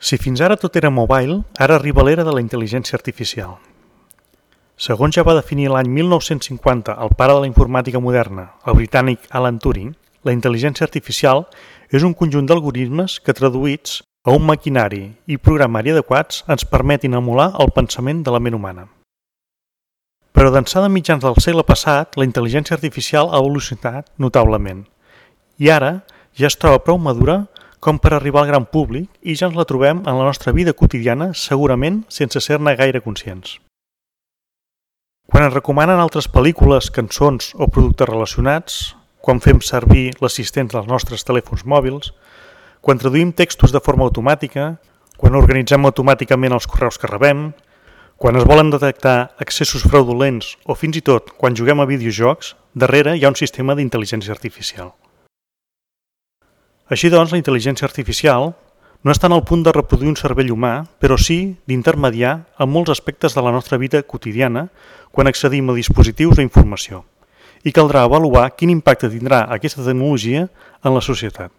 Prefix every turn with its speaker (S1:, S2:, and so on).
S1: Si fins ara tot era mobile, ara arriba l'era de la intel·ligència artificial. Segons ja va definir l'any 1950 el pare de la informàtica moderna, el britànic Alan Turing, la intel·ligència artificial és un conjunt d'algoritmes que, traduïts a un maquinari i programari adequats, ens permetin emular el pensament de la ment humana. Però d'ençà de mitjans del segle passat, la intel·ligència artificial ha evolucionat notablement i ara ja es troba prou madura com per arribar al gran públic i ja ens la trobem en la nostra vida quotidiana, segurament sense ser-ne gaire conscients. Quan ens recomanen altres pel·lícules, cançons o productes relacionats, quan fem servir l'assistent dels nostres telèfons mòbils, quan traduïm textos de forma automàtica, quan organitzem automàticament els correus que rebem, quan es volen detectar accessos fraudulents o fins i tot quan juguem a videojocs, darrere hi ha un sistema d'intel·ligència artificial. Així doncs, la intel·ligència artificial no està en el punt de reproduir un cervell humà, però sí d'intermediar en molts aspectes de la nostra vida quotidiana quan accedim a dispositius o informació. I caldrà avaluar quin impacte tindrà aquesta tecnologia en la societat.